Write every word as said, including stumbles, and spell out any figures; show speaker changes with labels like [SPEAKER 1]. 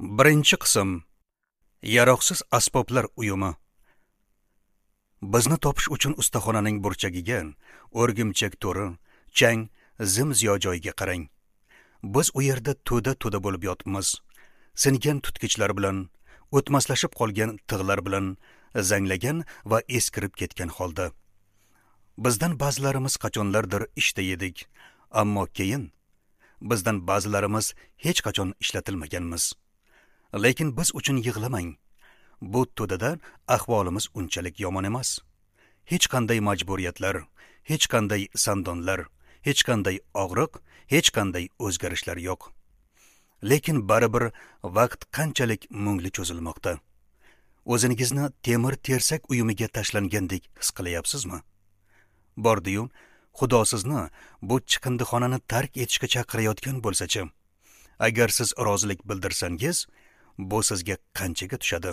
[SPEAKER 1] Birinchi qism. Yaroqsiz asboblar uyumi. Bizni topish uchun ustaxonaning burchagiga, o'rgimchak to'ri, chang, zim-ziyo joyiga qarang. Biz u yerda to'da-to'da bo'lib yotibmiz. Singan tutqichlar bilan, o'tmaslashib qolgan tig'lar bilan, zanglagan va eskirib ketgan holda. Bizdan ba'zilarimiz qachonlardir ishda edik, ammo keyin bizdan ba'zilarimiz hech qachon ishlatilmaganmiz. Lekin biz uchun yig'lamang. Bu to'dada ahvolimiz unchalik yomon emas. Hech qanday majburiyatlar, hech qanday sandonlar, hech qanday og'riq, hech qanday o'zgarishlar yo'q. Lekin baribir vaqt qanchalik mungli cho'zilmoqda. O'zingizni temir tersak uyumiga tashlangandek his qilyapsizmi? Bordi-yu, Xudo sizni bu chiqindixonani tark etishga chaqirayotgan bo'lsa-chi? Agar siz rozilik bildirsangiz, bu sizga qanchaga tushadi?